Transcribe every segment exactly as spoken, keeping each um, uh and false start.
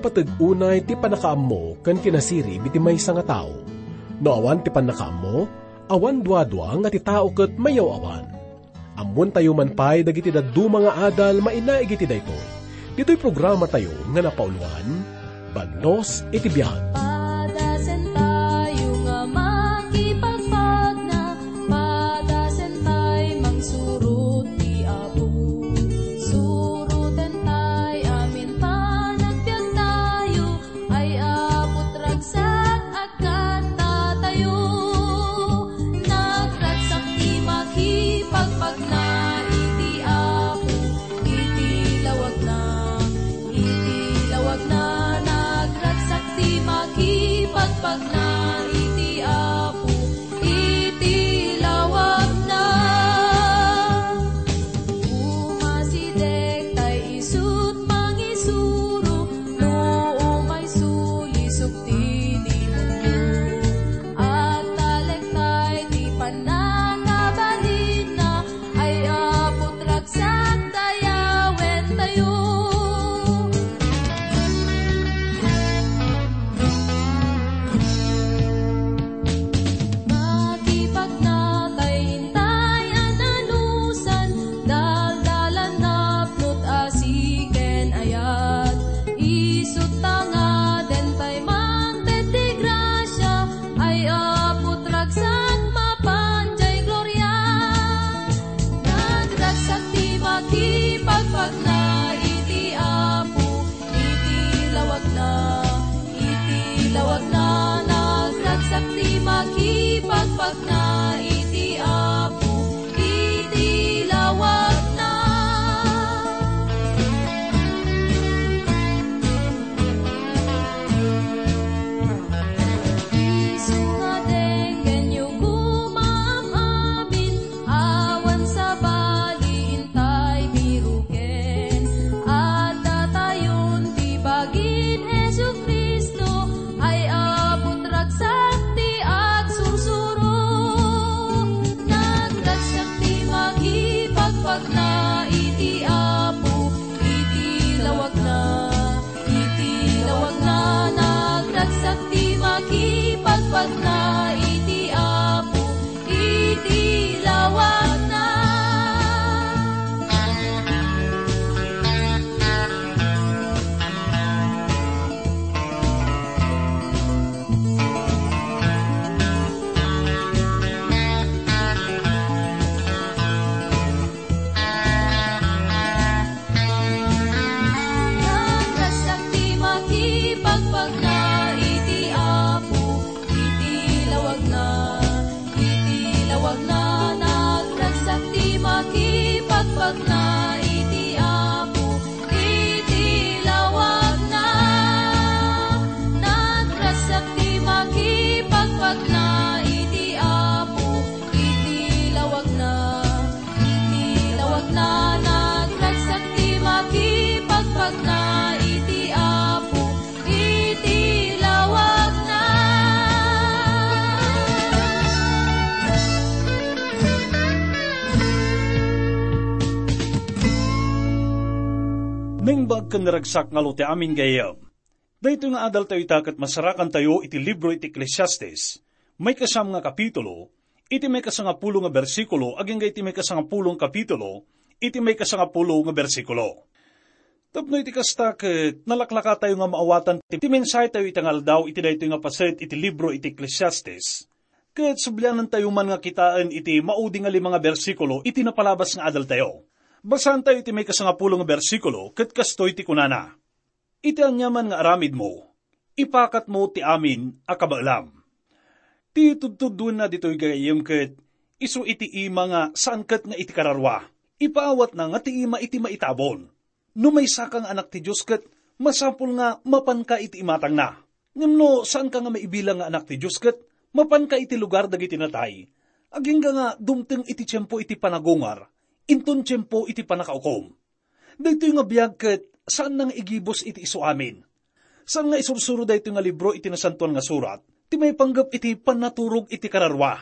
Pateg unay ti pannakaammo ken kinasirib iti maysa nga tao. No awan ti pannakaammo, awan duadua nga ti tao ket mayaw-awan. Ammoentayo man pay dagiti dadduma nga adal mainaig iti daytoy. Ditoy programatayo nga napauloan, Bagnos iti Biag. Padasentayo nga makipagpagna, padasentay mangsurot ti Apo. Surotentay amin panagbiagtayo, ay Apo, ragsak, agkantatayo. Nagragsak ti makipagpagna iti Apo, iti lawagna, iti lawagna. Nagragsak ti makipagpagna iti Apo, iti lawagna. Umasideg tay isut' mangisuro, no umay sulisog ti demonio. Agtalek tay ti pannakabalinna, ay Apo, ragsak, dayawentayo. Makipagna tay intay a nanusan, daldalan, napnot, asi ken ayat. Isut' ta ngaden tay mangted ti grasia, ay Apo, ragsak, mapan diay gloria. Nagragsak ti makipagpagna iti Apo, iti lawagna, iti lawagna. Nagragsak ti makipagpagna iti Apo, iti lawagna. Isu nga denggenyo koma am-amin, awan sabali intay biroken. Addatayon ti bagin Jesu-Cristo, ay Apo, ragsak ti agsursuro. Nagragsak ti makipagpagna iti Apo, iti lawagna, iti lawagna. Nagragsak ti makipagpagna iti Apo, iti lawagna. Nagragsak ti makipagpagna iti Apo, iti lawagna, iti lawagna. Nagragsak ti makipagpagna iti Apo, iti lawagna. Nagragsak ti makipagpagna iti Apo, iti lawagna, iti lawagna. Nagragsak ti makipagpagna iti Apo, iti lawagna. Naimbag ken naragsak nga lo ti amin gayyem. Daytoy nga adaltayo ita ket masarakantayo iti libro iti Eclesiastes, maikasam nga kapitulo, iti maikasangapulo nga bersikulo agingga iti maikasangapulo nga kapitulo, iti maikasangapulo nga bersikulo. Tapno iti kasta ket nalaklakatayo nga maawatan ti, ti mensahetayo ita nga aldaw iti daytoy nga paset iti libro iti Eclesiastes, ket sublianantayo man nga kitaen iti maudi nga lima nga bersikulo iti napalabas nga adaltayo. Basaantayo iti maikasangapulo nga bersikulo ket kastoy ti kunana, "Iti aniaman nga aramidmo, ipakatmo ti amin a kabaelam." Ti tudtuduenna ditoy gayyem ket isu iti ima nga saan ket nga iti kararua. Ipaawatna nga ti ima iti maitabon. No maysaka nga anak ti Dios ket masapul nga mapanka iti imatangna. Ngem no saanka nga maibilang nga anak ti Dios ket mapanka iti lugar dagiti natay, agingga nga dumteng iti tiempo iti panagungar, inton tiempo iti pannakaukom. Daytoy nga biag ket saanna nga igibus iti isuamin. Saan nga isursuro daytoy nga libro iti Nasantoan nga Surat ti maipanggep iti pannaturog iti kararua.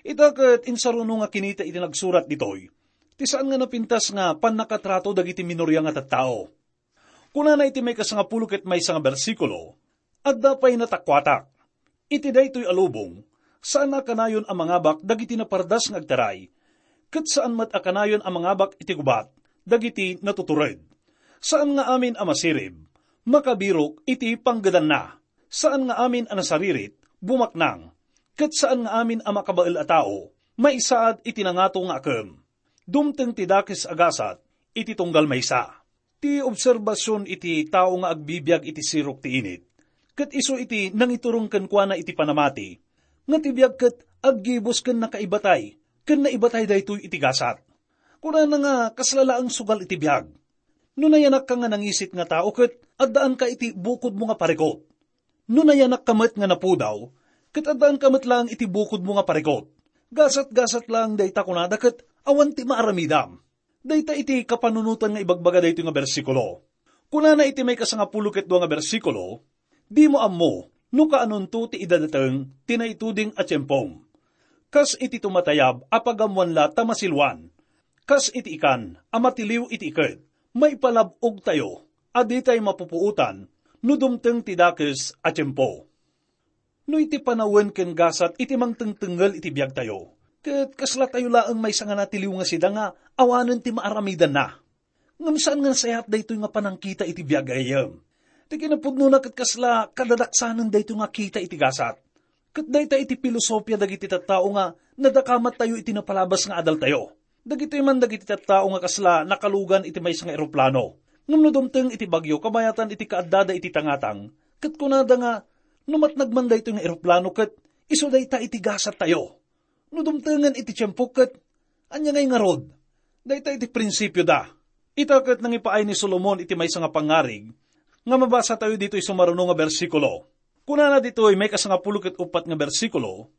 Ita ket insaruno nga kinita iti nagsurat ditoy ti saan nga napintas nga pannakatrato dagiti minoria nga tattao. Kunana iti maikasangapulo ket maysa nga bersikulo, "Adda pay natakuatak. Iti daytoy a lubong, saan a kanayon a mangabak dagiti napardas nga agtaray, ket saan met a kanayon a mangabak iti gubat dagiti natutured. Saan nga amin a masirib, makabirok iti panggedanna. Saan nga amin a nasaririt, bumaknang, ket saan nga amin a makabael a tao, maisaad iti nangato nga akem. Dumteng ti dakes a gasat iti tunggal maysa." Ti obserbasion iti tao nga agbibiag iti sirok ti init, ket isu iti nangiturong kenkuana iti panamati, nga ti biag ket aggibus ken nakaibatay, ken naibatay daytoy iti gasat. Kunana nga kasla laeng sugal iti biag. No nayanakka nga nangisit nga tao ket addaanka iti bukodmo nga parikot. No nayanakka met nga napudaw, ket addaanka met laeng iti bukodmo nga parikot. Gasat-gasat laeng dayta kunada ket awan ti maaramidam. Dayta iti kapanunotan nga ibagbaga daytoy nga bersikulo. Kunana iti maikasangapulo ket dua nga bersikulo, "Dimo ammo no kaanonto ti idadateng ti naituding a tiempom. Kas iti tumatayab a pagammoan la ta masiluan, kas iti ikan a matiliw iti iket, maipalab-ogtayo a ditay mapupuotan no dumteng ti dakes a tiempo." No iti panawen ken gasat iti mangtengtengngel iti biagtayo, ket kaslatayo laeng maysa nga natiliw nga sida nga awanen ti maaramidanna. Ngem saan nga nasayaat daytoy nga panangkita iti biag, gayyem. Ti kinapudnona ket kasla kadadaksanen daytoy nga kita iti gasat. Ket dayta iti filosofia dagiti tattao nga nadakamat tayo iti napalabas nga adaltayo. Dagitoy man dagiti tattao nga kasla nakalugan iti maysa nga eroplano. Ngem no dumteng iti bagyo kabayatan iti kaaddada iti tangatang, ket kunada nga, "No matnag man daytoy nga eroplano ket isu dayta iti gasattayo. No dumtengen iti tiempo ket ania ngay ngarud?" Dayta iti prinsipioda. Ita ket nangipaay ni Solomon iti maysa nga pangngarig nga mabasatayo ditoy sumaruno nga bersikulo. Kunana ditoy maikasangapulo ket uppat nga bersikulo,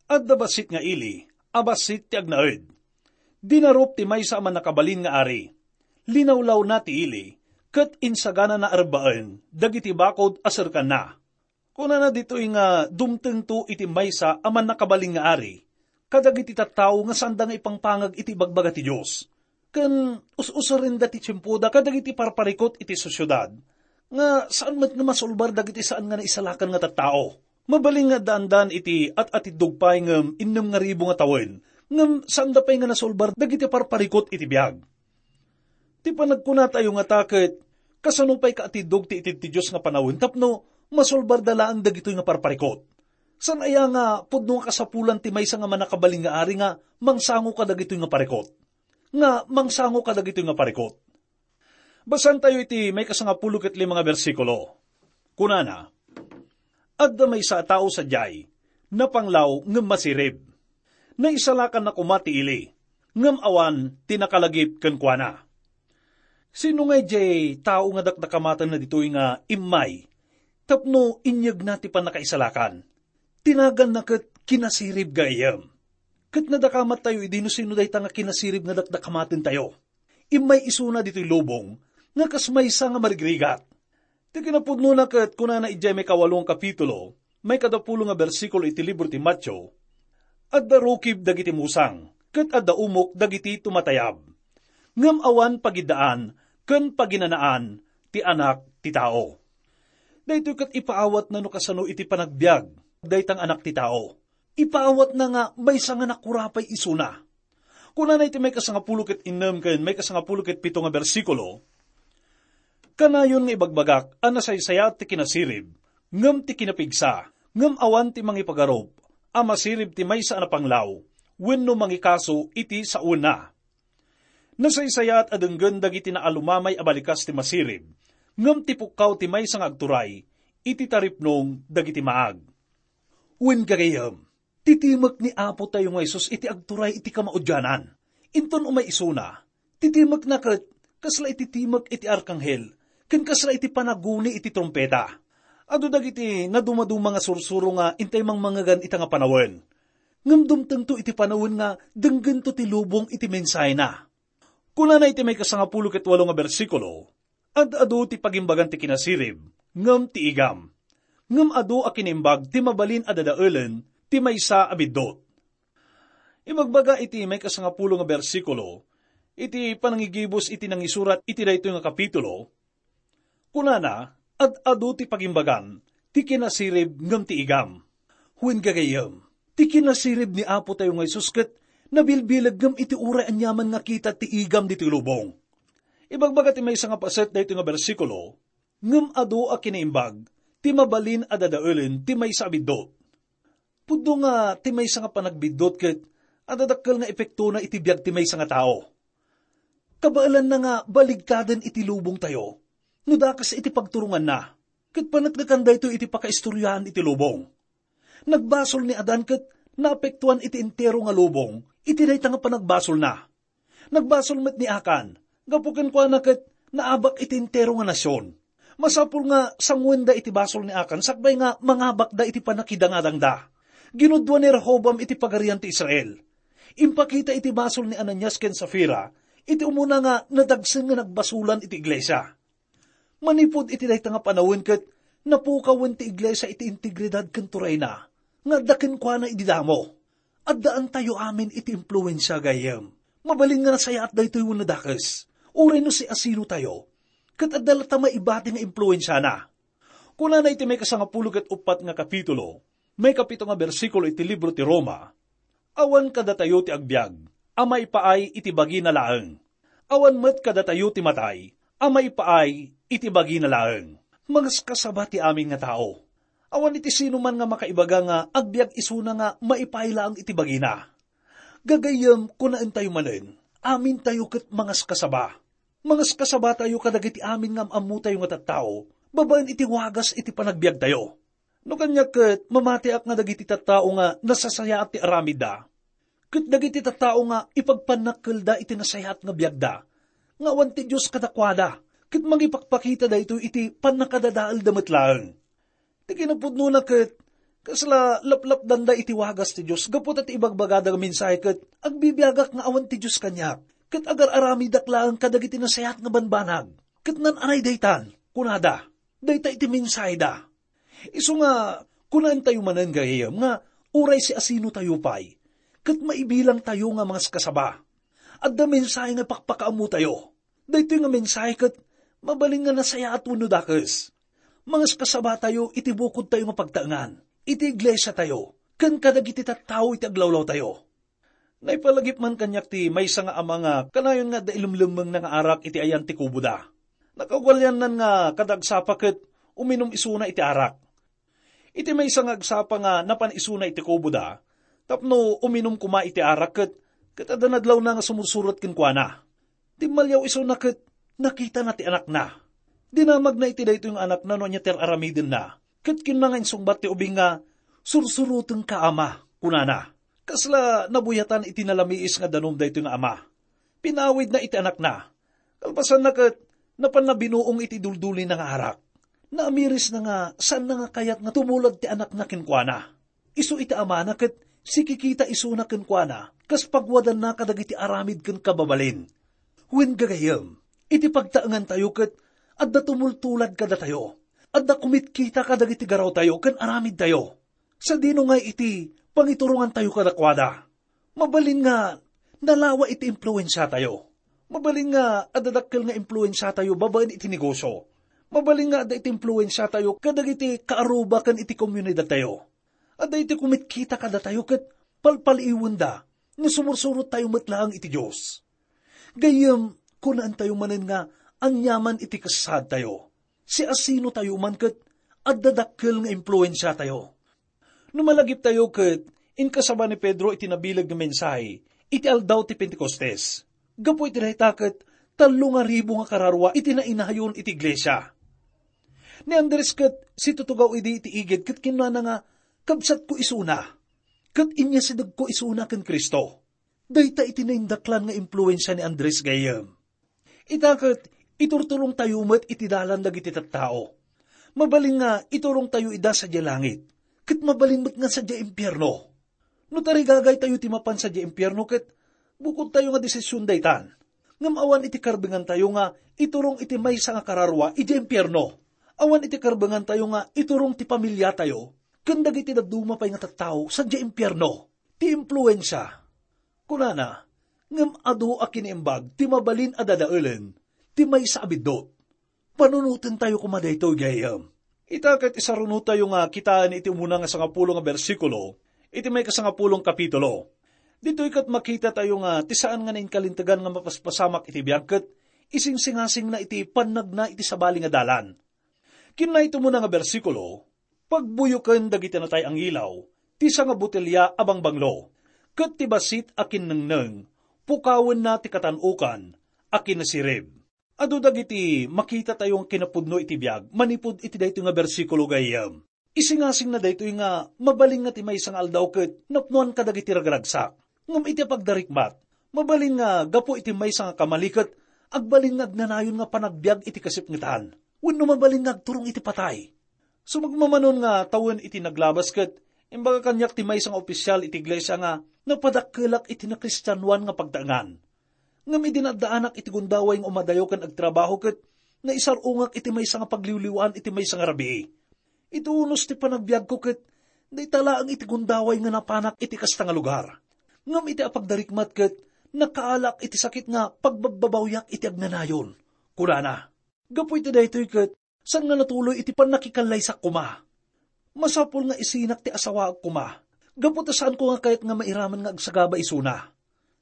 "Adda bassit nga ili a bassit ti agnaed. Dinarup ti maysa a mannakabalin nga ari. Linawlawna ti ili, ket insaganana a rebbaen dagiti bakod a serkanna." Kunana ditoy nga dumtengto iti maysa a mannakabalin nga ari kadagiti tattao nga saanda nga ipangpangag iti ibagbaga ti Dios. Ken us-usarenda ti tiempoda kadagiti parparikot iti sosiedad nga saan met nga masulbar dagiti saan nga naisalakan nga tattao. Mabalin nga addaandan iti at-atiddog pay ngem innem nga ribu nga tawen, ngem saanda pay nga nasulbar dagiti parparikot iti biag. Ti panagkunatayo ngata ket, kasano pay kaatiddog ti itid ti Dios nga panawen tapno masulbarda laeng dagitoy nga parparikot? Saan aya nga pudno nga kasapulan ti maysa nga mannakabalin nga ari nga mangsango kadagitoy nga parikot? Nga mangsango kadagitoy nga parikot? Basaentayo iti maikasangapulo ket lima nga bersikulo. Kunana, "Adda maysa a tao sadiay, napanglaw ngem masirib. Naisalakanna koma ti ili, ngem awan ti nakalagip kenkuana." Sino ngay diay tao nga dakdakamatenna ditoy nga immay tapno inyegna ti pannakaisalakan? Ti naganna ket kinasirib, gayyem. Ket nadakamat tayo idi no sino dayta nga kinasirib nga dakdakamatentayo. Immay isuna ditoy lubong nga kas maysa nga marigrigat. Ti kinapudnona ket kunana idiay maikawalo nga kapitulo, maikadapulo nga bersikulo iti libro ti Mateo, "Adda rukib dagiti musang, ket adda umok dagiti tumatayab. Ngem awan pagiddaan ken paginanaan ti Anak ti Tao." Daytoy ket ipaawatna no kasano iti panagbiag dayta nga Anak ti Tao. Ipaawatna nga maysa nga nakurapay isuna. Kunana iti maikasangapulo ket innem ken maikasangapulo ket pito nga bersikulo, "Kanayon nga ibagbagak a nasaysayaat ti kinasirib, ngem ti kinapigsa, ngem awan ti mangipagarup a masirib ti maysa a napanglaw wenno mangikaso iti sawenna. Nasaysayaat a denggen dagiti naalumamay a balikas ti masirib, ngem ti pukkaw ti maysa nga agturay iti taripnong dagiti maag." Wen, gagayyem, ti timek ni Apo tayo nga Jesus iti agturay iti kamaudianan. Inton umay isuna, ti timekna ket kasla iti timek iti arkanghel, ken kasla iti panaguni iti trumpeta. Adu dagiti nadumaduma nga sursuro nga intay mangmangegan ita nga panawen. Ngem dumtengto iti panawen nga denggento ti lubong iti mensahena. Kunana iti maikasangapulo ket walo nga bersikulo, "Ad-adu ti pagimbagan ti kinasirib, ngem ti igam. Ngem adu a kinimbag ti mabalin a dadaelen ti maysa a biddut." Ibagbaga iti maikasangapulo nga bersikulo, iti panangigibus iti nangisurat iti daytoy nga kapitulo, Kunana, ad-adu ti pagimbagan, ti kinasirib ngem ti igam. Wen gagayyem, ti kinasirib ni Apo tayo nga Jesus ket nabilbileg ngem iti uray aniaman nga kita ti igam ditoy lubong. Ibagbaga ti maysa nga paset daytoy nga bersikulo, ngem adu a kinaimbag ti mabalin a dadaelen ti maysa a biddut. Pudno nga ti maysa nga panagbiddut ket adda dakkel nga epektona iti biag ti maysa nga tao. Kabaelanna nga baligtaden iti lubongtayo no dakes iti pagturonganna, ket paneknekan daytoy iti pakaistoriaan iti lubong. Nagbasol ni Adan ket naapektuan iti entero nga lubong iti dayta nga panagbasolna. Nagbasol met ni Akan, gapu kenkuana ket naabak iti entero nga nasion. Masapul nga sanguenda iti basol ni Akan sakbay nga mangabakda iti pannakidangadangda. Ginudua ni Rehoboam iti pagarian ti Israel. Impakita iti basol ni Ananias ken Safira iti umuna nga nadagsen nga nagbasolan iti iglesia. Manipud iti dayta nga panawen ket napukawen ti iglesia iti integridad ken turayna nga adda kenkuana idi damo. Addaantayo amin iti impluensia, gayyem. Mabalin nga nasayaat daytoy wenno dakes, uray no siasinotayo, ket adda latta maibati nga impluensiana. Kunana iti maikasangapulo ket uppat nga kapitulo, maikapito nga bersikulo iti libro ti Roma, "Awan kadatayo ti agbiag a maipaay iti bagina laeng. Awan met kadatayo ti matay a maipaay iti bagina laeng." Mangaskasaba ti amin nga tao. Awan iti sinuman nga makaibaga nga agbiag isuna nga maipaay laeng iti bagina. Gagayyem, kunaentayo manen, amintayo ket mangaskasaba. Mangaskasabatayo kadagiti amin nga am-ammotayo nga tattao babaen iti wagas iti panagbiagtayo. No kaniak ket, mamatiak nga dagiti tattao nga nasasayaat ti aramidda, ket dagiti tattao nga ipagpannakkelda iti nasayaat nga biagda, nga awan ti Dios kadakuada, ket mangipakpakita daytoy iti pannakadadaelda met laeng. Ti kinapudnona ket, kasla laplapdanda iti wagas ti Dios gapu ta ti ibagbagada nga mensahe ket agbibiagak nga awan ti Dios kaniak, ket agar-aramidak laeng kadagiti nasayaat nga banbanag, ket naan-anay daytan, kunada. Dayta iti mensaheda. Isu nga, kunaentayo manen, gayyem, nga uray siasinotayo pay, ket maibilangtayo nga mangaskasaba, adda mensahe nga ipakpakaammotayo. Daytoy nga mensahe ket mabalin nga nasayaat wenno dakes. Mangaskasabatayo iti bukodtayo nga pagtaengan, iti iglesiatayo, ken kadagiti tattao iti aglawlawtayo. Naipalagip man kaniak ti maysa nga ama nga kanayon nga adda ilemlemmengna nga arak iti ayan ti kuboda. Nakaugaliannan nga kada agsapa ket uminum isuna iti arak. Iti maysa nga agsapa nga napan isuna iti kuboda, tapno uminum koma iti arak ket, ket adda nadlawna nga sumursurot kenkuana. Timmaliaw isuna ket nakitana ti anakna. Dinamagna iti daytoy nga anakna no ania ti ar-aramidenna, ket kinuna nga insungbat ti ubing nga, "Sursurotenka, ama," kunana. Kasla nabuyatan iti nalamiis nga danum daytoy nga ama. Pinawidna iti anakna. Kalpasanna ket, napanna binuong iti duldulina nga arak. Naamirisna nga saanna nga kayat nga tumulad ti anakna kenkuana. Isu iti amana ket sikikita isuna kenkuana kas pagwadanna kadagiti aramid ken kababalin. Wen gagayyem, iti pagtaengantayo ket adda tumultulad kadatayo. Adda kumitkita kadagiti garawtayo ken aramidtayo. Sadino ngay iti pangiturongantayo kadakuada? Mabalin nga nalawa iti impluensiatayo. Mabalin nga adda dakkel nga impluensiatayo babaen iti negosio. Mabalin nga adda iti impluensiatayo kadagiti kaaruba ken iti komunidadtayo. Adda iti kumitkita kadatayo ket palpaliiwenda no sumursurottayo met laeng iti Dios. Gayyem, kunaentayo manen nga aniaman iti kasaadtayo. Siasinotayo man ket adda dakkel nga impluensiatayo. No malagiptayo ket inkasaba ni Pedro iti nabileg nga mensahe iti aldaw ti Pentecostes. Gapu iti dayta ket tallo nga ribu nga kararua iti nainayon iti iglesia. Ni Andres ket situtugaw idi iti igid ket kinunana nga, "Kabsatko isuna, ket inyasidegko isuna ken Cristo." Dayta iti naindaklan nga impluensia ni Andres gayyem. Ita ket iturturongtayo met iti dalan dagiti tattao. Mabalin nga iturongtayo ida sadiay langit, ket mabalin met nga sadiay impierno. No tarigagaytayo ti mapan sadiay impierno ket bukodtayo nga desision daytan. Ngem awan iti karbengantayo nga iturong iti maysa nga kararua idiay impierno. Awan iti karbengantayo nga iturong ti pamiliatayo ken dagiti dadduma pay nga tattao sadiay impierno. Ti impluensia. Kunana, ngem adu a kinaimbag ti mabalin a dadaelen ti maysa a biddut. Panunotentayo koma daytoy, gayyem. Ita ket isarunotayo nga kitaen iti umuna nga sangapulo nga bersikulo iti maikasangapulong kapitulo. Ditoy ket makitatayo nga ti saan nga nainkalintegan nga mapaspasamak iti biag ket isingsingasingna iti pannagna iti sabali nga dalan. Kinuna iti umuna nga bersikulo, "Pagbuyoken dagiti natay a ngilaw ti sangabotelia a bangbanglo, ket ti bassit a kinnengneng, pukawenna ti katan-okan a kinasirib." Adu dagiti makitatayo nga kinapudno iti biag manipud iti daytoy nga bersikulo, gayyem. Isingasingna daytoy nga mabalin nga ti maysa nga aldaw ket napnoan kadagiti ragragsak. Ngem iti pagdarikmat, mabalin nga gapu iti maysa nga kamali ket agbalin nga agnanayon nga panagbiag iti kasipngetan, wenno mabalin nga agturong iti patay. Sumagmamano nga tawen iti naglabas ket imbaga kaniak ti maysa nga opisyal iti iglesia nga napadakkelak iti nakristianoan nga pagtaengan. Ngem idi naaddaanak iti gundaway nga umadayo ken agtrabaho ket naisar-ongak iti maysa nga pagliwliwaan iti maysa nga rabii. Iti unos ti panagbiagko ket dayta laeng iti gundaway nga napanak iti kasta nga lugar. Ngem iti apagdarikmat ket nakaalak iti sakit nga pagbabbabawiak iti agnanayon, kunana. Gapu iti daytoy ket saan nga natuloy iti pannakikallaysak koma. Masapul nga isinak ti asawaak koma, gapu ta saanko nga kayat nga mairaman nga agsagaba isuna.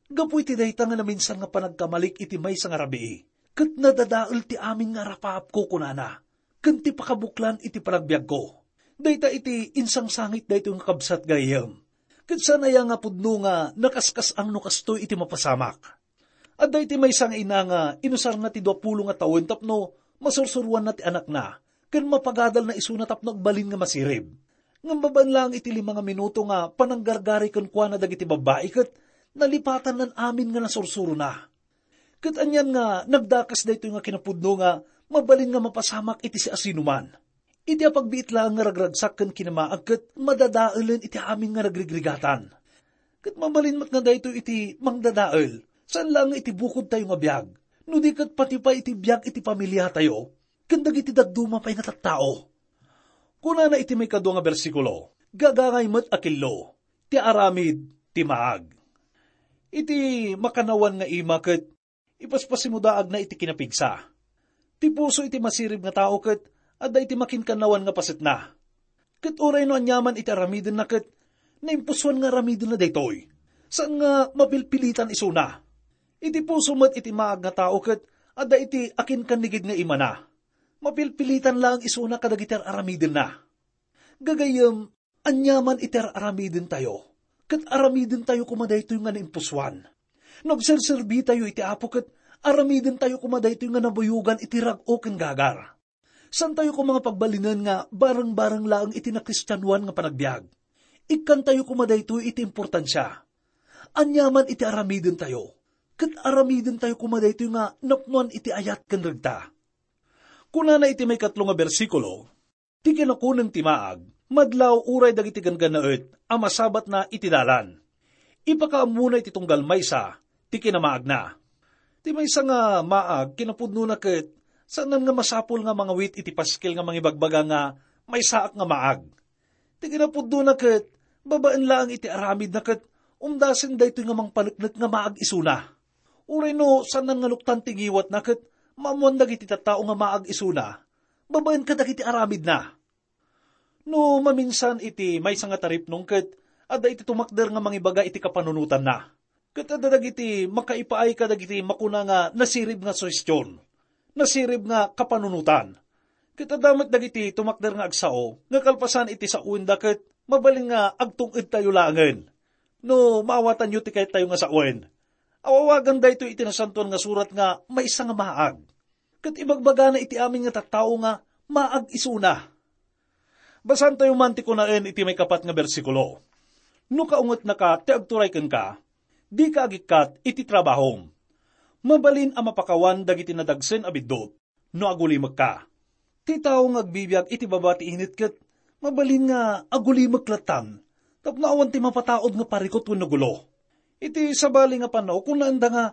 Gapu iti dayta nga naminsan nga panagkamalik iti maysa nga rabii, ket nadadael ti amin nga arapaapko, kunana, ken ti pakabuklan iti panagbiagko. Dayta iti insangsangit daytoy nga kabsat, gayyem. Ket saan aya nga pudno nga nakaskas-ang no kastoy iti mapasamak? Adda iti maysa nga ina nga inusarna ti duapulo nga tawen tapno masursuroanna ti anakna, ken mapagadalna isuna tapno agbalin nga masirib. Ngem babaen laeng iti lima nga minuto nga pananggargari kenkuana dagiti babbai ket nalipatanna amin nga nasursurona. Ket anian nga nagdakes daytoy nga kinapudno nga mabalin nga mapasamak iti siasinoman. Iti apagbiit laeng nga ragragsak ken kinamaag ket madadaelen iti amin nga nagrigrigatan. Ket mabalin met nga daytoy iti mangdadael, saan laeng nga iti bukodtayo nga biag, no di ket pati pay iti biag iti pamiliatayo, ken dagiti dadduma pay nga tattao. Kunana iti maikadua nga bersikulo, "Gagangay met a kello, ti aramid ti maag." Iti makannawan nga ima ket ipaspasimudaagna iti kinapigsa. Ti puso iti masirib nga tao ket adda iti makinkannawan nga pasetna. Ket uray no aniaman iti aramidenna ket naimpusoan nga aramidenna daytoy, saan nga mapilpilitan isuna. Iti puso met iti maag nga tao ket adda iti akinkannigid nga imana. Mapilpilitan laeng isuna kadagiti ar-aramidenna. Gagayyem, aniaman iti ar-aramidentayo, ket aramidentayo koma daytoy nga naimpusoan. No agserserbitayo iti Apo ket aramidentayo koma daytoy nga nabuyogan iti rag-o ken gagar. Saantayo koma nga pagbalinen nga bareng-bareng laeng iti nakristianoan nga panagbiag. Ikkantayo koma daytoy iti importansia. Aniaman iti aramidentayo, ket aramidentayo koma daytoy nga napnoan iti ayat ken regta. Kunana iti maikatlo nga bersikulo, "Ti kinakuneng ti maag, madlaw uray dagiti ganggannaet a masabatna iti dalan. Ipakaammona iti tunggal maysa ti kinamaagna." Ti maysa nga maag, kinapudnona ket saanen nga masapul nga mangawit iti paskel nga mangibagbaga nga maysaak nga maag. Ti kinapudnona ket babaen laeng iti aramidna ket umdasen daytoy nga mangpaneknek nga maag isuna. Uray no saanen nga luktan ti ngiwatna ket maammoan dagiti tattao nga maag isuna babaen kadagiti aramidna. No maminsan iti maysa nga taripnong ket adda iti tumakder nga mangibaga iti kapanunotanna. Ket adda dagiti makaipaay kadagiti makuna nga nasirib nga suhestion, nasirib nga kapanunotan. Ket adda met dagiti tumakder nga agsao nga kalpasan iti saoenda ket mabalin nga agtung-edtayo laengen. No maawatanyo ti kayattayo nga sawen, awawagan daytoy iti Nasantoan nga Surat nga maysa nga maag. Ket ibagbagana iti amin nga tattao nga maag isuna. Basaantayo man ti kunaen iti maikapat nga bersikulo, "No kaungetnaka ti agturay kenka, dika agikkat iti trabahom. Mabalin a mapakawan dagiti nadagsen a biddut no agulimekka." Ti tao nga agbibiag iti baba ti init ket mabalin nga agulimek lattan tapno awan ti mapataud nga parikut wenno gulo. Iti sabali nga panaw, kunaenda nga,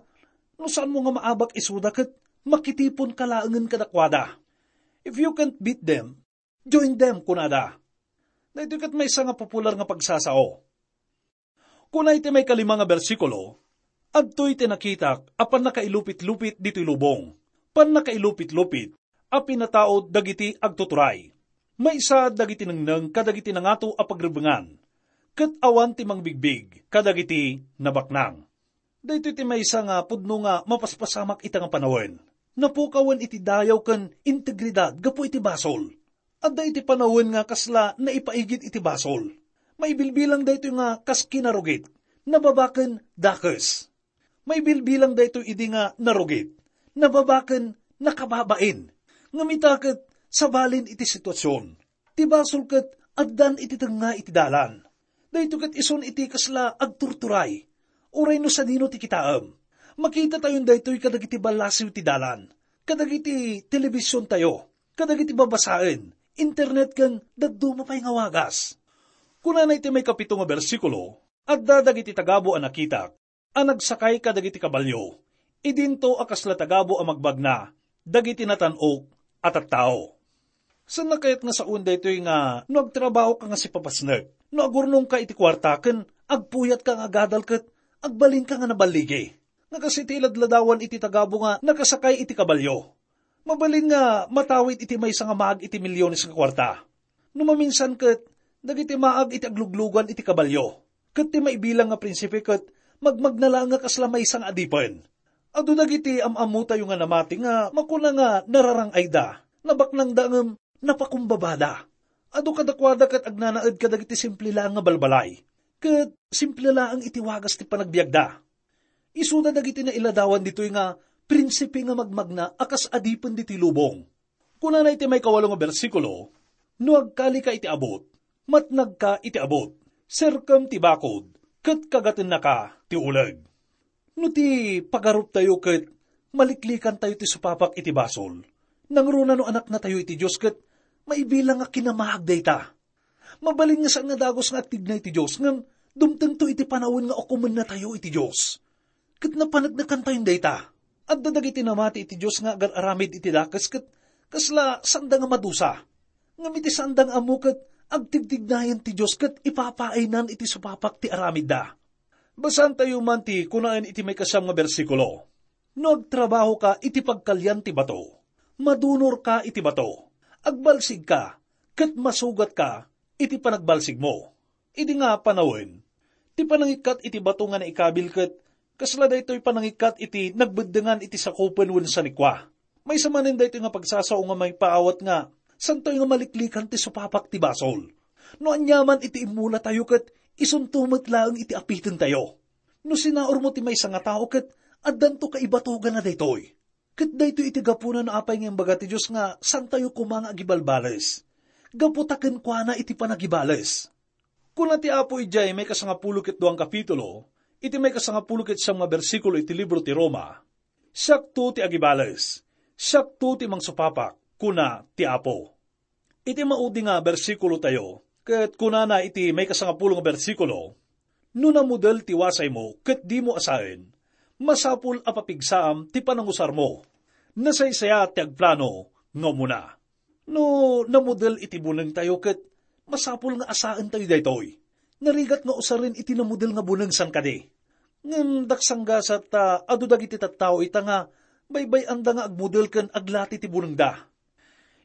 "No saanmo nga maabak isuda ket makitiponka laengen kadakuada. If you can't beat them, join them," kunada. Daytoy ket maysa nga popular nga pagsasao. Kuna iti maikalima nga bersikulo, "Adtoy ti nakitak a pannakailupit-lupit ditoy lubong, pannakailupit-lupit a pinataud dagiti agtuturay. Maysa dagiti nengneng kadagiti nangato a pagrebbengan, ket awan ti mangbigbig kadagiti nabaknang. Daytoy ti maysa nga pudno nga mapaspasamak ita nga panawen. Napukawen iti dayaw ken integridad gapu iti basol. Adda iti panawen nga kasla naipaigid iti basol. Maibilbilang daytoy nga kas kinarugit, nababaken dakes. Maibilbilang daytoy idi nga narugit, nababaken nakababain. Ngem ita ket sabalin iti situasion. Ti basol ket addan iti tengnga iti dalan. Daytoy ket isun iti kasla agturturay. Uray no sadino ti kitaem. Makita tayon daytoy kadagiti ballasiw ti dalan, kadagiti telebision tayo, kadagiti babasaen, internet ken dadduma pay nga wagas. Kunana iti may kapito nga bersikulo, adda dagiti tagabu a nakitak a nagsakay kadagiti kabalio. Idinto a kasla tagabu a magbagna dagiti natan-ok a tattao. Saan kayat nga sawen daytoy nga no agtrabahoka nga sipapasnek, no agurnongka iti kuarta ken agpuyatka nga agadal ket agbalinka nga naballigi? Nga kas iti ladladawan iti tagabu nga nakasakay iti kabalio. Mabalin nga matawid iti maysa nga maag iti milyones nga kuarta. No maminsan ket, dagiti maag iti agluglugan iti kabalio, ket ti maibilang nga prinsipe ket magmagna laeng nga kasla maysa nga adipen. Adu dagiti am-ammotayo nga namati nga makuna nga nararang-ayda, nabaknangda ngem napakumbabada. Adu kadakuada ket agnanaed kadagiti simple laeng nga balbalay, ket simple laeng iti wagas ti panagbiagda. Isuda dagiti nailadawan ditoy nga prinsipe nga magmagna a kas adipen ditoy lubong. Kunana iti maikawalo nga bersikulo, "No agkalika iti abut, matnagka iti abut, serkem ti bakod, ket kagatennaka ti uleg." No ti pagaruptayo ket maliklikantayo ti supapak iti basol, nangruna no anaknatayo iti Dios ket maibilang nga kinamaag dayta. Mabalin nga saan nga dagus nga agtigna iti Dios, ngem dumtengto iti panawen nga ukomennatayo iti Dios. Ket napaneknekantayon dayta. Adda dagiti namati iti Dios nga agar-aramid iti dakes ket kasla saanda nga madusa. Ngem iti saanda nga ammo ket agtigtignayan ti Dios ket ipapaaynan iti supapak ti aramidda. Basaantayo man ti kunaen iti maikasiam nga bersikulo, "No agtrabahoka iti pagkalian ti bato, madunorka iti bato, agbalsigka, ket masugatka iti panagbalsigmo." Idi nga panawen, ti panangikkat iti bato nga naikabil ket kasla daytoy panangikkat iti nagbeddengan iti sakupen wenno sanikua. Maysa manen daytoy nga pagsasao nga maipaawat nga santoy nga maliklikan ti supapak ti basol. No aniaman iti immulatayo ket isunto met laeng iti apitentayo. No sinaurmo ti maysa nga tao ket addanto kaibatuganna daytoy. Ket daytoy iti gapuna no apay nga imbaga ti Dios nga santayo koma nga agibalbales. Gapu ta kenkuana iti panagibales. Kuna ti Apo idiay maikasangapulo ket duang kapitulo, iti maikasangapulo ket siam nga bersikulo iti libro ti Roma, "Siakto ti agibales, siakto ti mangsupapak," kuna ti Apo. Iti maudi nga bersikulo tayo, ket kunana iti maikasangapulo nga bersikulo, "No namudel ti wasaymo ket dimo asaen, masapul a papigsaam ti panangusarmo. Nasaysayat ti agplano nga umuna." No namudel iti buneng tayo ket masapul nga asaen tayo daytoy. Narigat nga usaren iti namudel nga buneng san kadi. Ngem daksanggasat ta adu dagiti tattao ita nga baybay-anda nga agmudel ken aglati ti bunengda.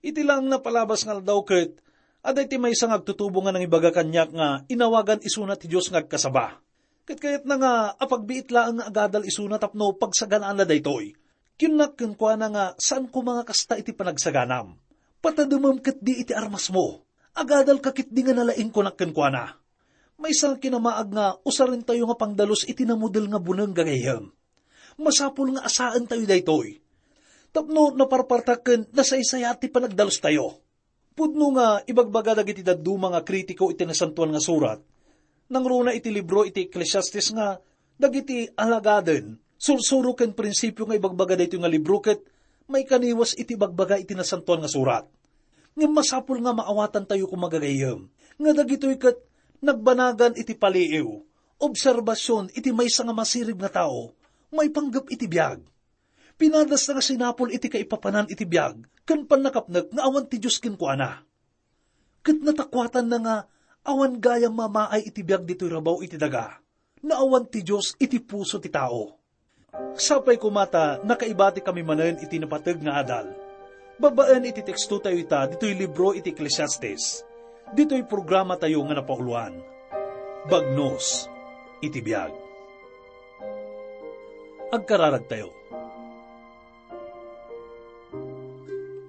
Iti laeng napalabas nga aldaw ket adda iti maysa nga agtutubo nga nangibaga kaniak nga inawagan isuna ti Dios nga agkasaba. Ket kayatna nga apagbiit laeng nga agadal isuna tapno pagsaganaanna daytoy. Kinnak kenkuana nga saan koma nga kasta iti panagsaganam. Patademem ketdi iti armasmo. Agadalka ketdi nga nalaing, kunak kenkuana. Maysa nga kinamaag nga usarentayo nga pangdalus iti namudel nga buneng, gagayyem. Masapul nga asaentayo daytoy. Tapno naparpartak ken nasaysayat ti panagdalustayo. Pudno nga ibagbaga dagiti dadduma nga kritiko iti Nasantoan nga Surat, nangruna iti libro iti Ecclesiastes, nga dagiti alagaden, sursuro ken prinsipio nga ibagbaga daytoy nga libro ket maikaniwas iti ibagbaga iti Nasantoan nga Surat. Ngem masapul nga maawatantayo koma, gagayyem, nga dagitoy ket nagbanagan iti paliiw, obserbasion iti maysa nga masirib nga tao maipanggep iti biag. Pinadasna nga sinapul iti kaipapanan iti biag ken pannakapnek nga awan ti Dios kenkuana. Ket natakuatanna nga awan gayam mamaay iti biag ditoy rabaw iti daga, no awan ti Dios iti puso ti tao. Sapay koma ta nakaibatikami manen iti napateg nga adal. Babaen iti tekstotayo ita, ditoy libro iti Ecclesiastes, ditoy programatayo nga napauloan, Bagnos iti Biag. Agkararagtayo.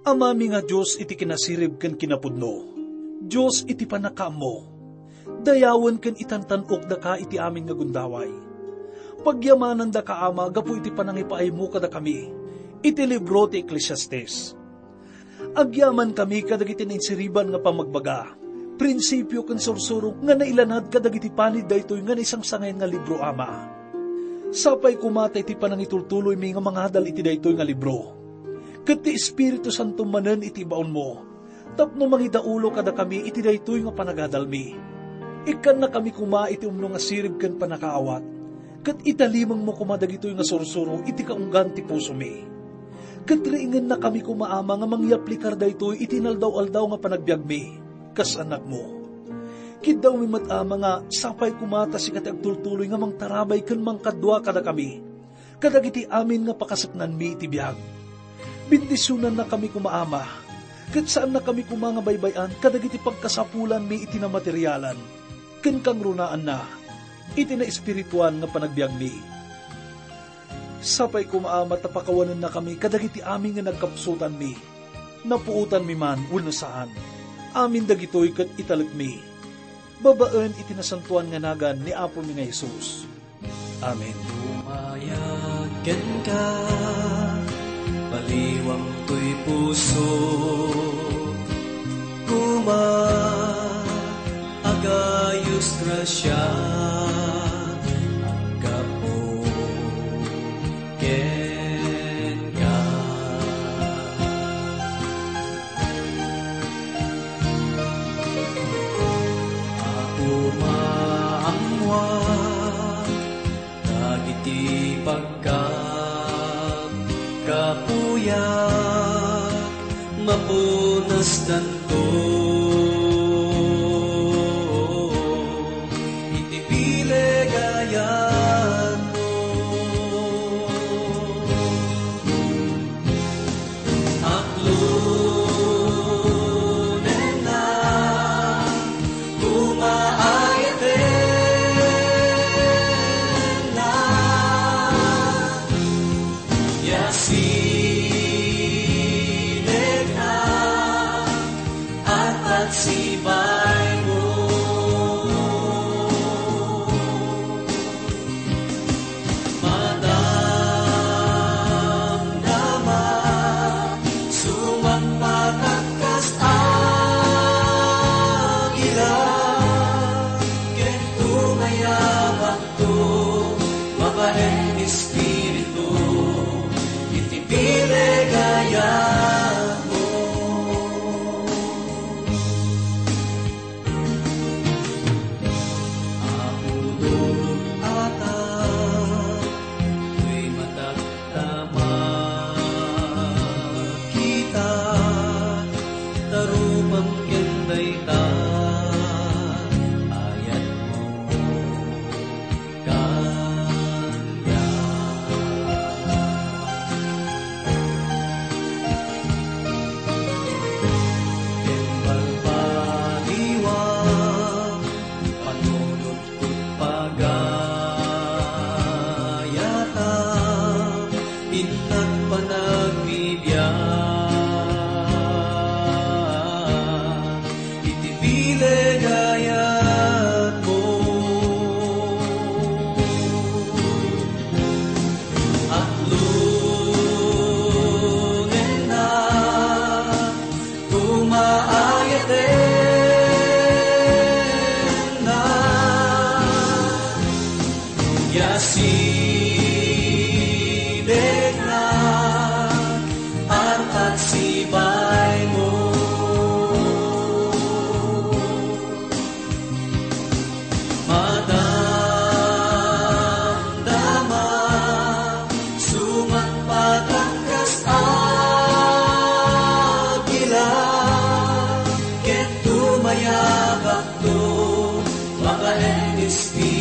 Amami nga Dios iti kinasirib ken kinapudno, Dios iti pannakaammo, dayawen ken itantan-ok daka iti amin nga gundaway. Pagyamanandaka, Ama, gapu iti panangipaaymo kadakami iti libro ti Ecclesiastes. Agyamankami kadagiti nainsiriban nga pammagbaga, prinsipio ken sursuro nga nailanad kadagiti panid daytoy nga naisangsangayan nga libro, Ama. Sapay koma ta iti panangitultuloymi nga mangadal iti daytoy nga libro, ket ti Espiritu Santo manen iti ibaonmo, tapno mangidaulo kadakami iti daytoy nga panagadalmi. Ikkannakami koma iti umno nga sirib ken pannakaawat, ket italimengmo koma dagitoy nga sursuro iti kaunggan ti pusomi. Ket riingennakami koma, Ama, nga mangyaplikar daytoy iti inaldaw-aldaw nga panagbiagmi kas annakmo. Kiddawmi met, Ama, nga sapay koma ta sika ti agtultuloy nga mangtarabay ken mangkadua kadakami kadagiti amin nga pakaseknanmi iti biag. Bendisionannakami koma, Ama, ket saannakami koma nga baybay-an kadagiti pagkasapulanmi iti namaterialan ken kangrunaanna iti naespirituan nga panagbiagmi. Sapay koma, Ama, ta pakawanennakami kadagiti amin nga nagkapsutanmi, napuotanmi man wenno saan. Amin dagitoy ket italekmi babaen iti nasantoan nga nagan ni Apomi nga Jesus. Amen. Umayag kenka, baliwang toy puso, koma, agayos grasia, aggapu kenka. Apo, maammoak dagiti pagkapkapuyak, mapunastanto iti bileg a yatmo. Aklonenna, koma, ayatenna, ya sidegna, arpatsibaymo. Madamdama, sumangpet kas agila, ket tumayabakto, babaen espiritu, iti bileg a yatmo. Apo, dut-atak toy matak ta makita, ta rupam ken dayta ayatmo. Kaniak. Ken balbaliwak, panunotko pagayata, innak panagbibiag. Iti bileg a yatmo. Aklonenna, koma, ayatenna, ya sidegna, arpatsibaymo. Madamdama, sumangpet kas agila, ket tumayabakto, babaen espiritu.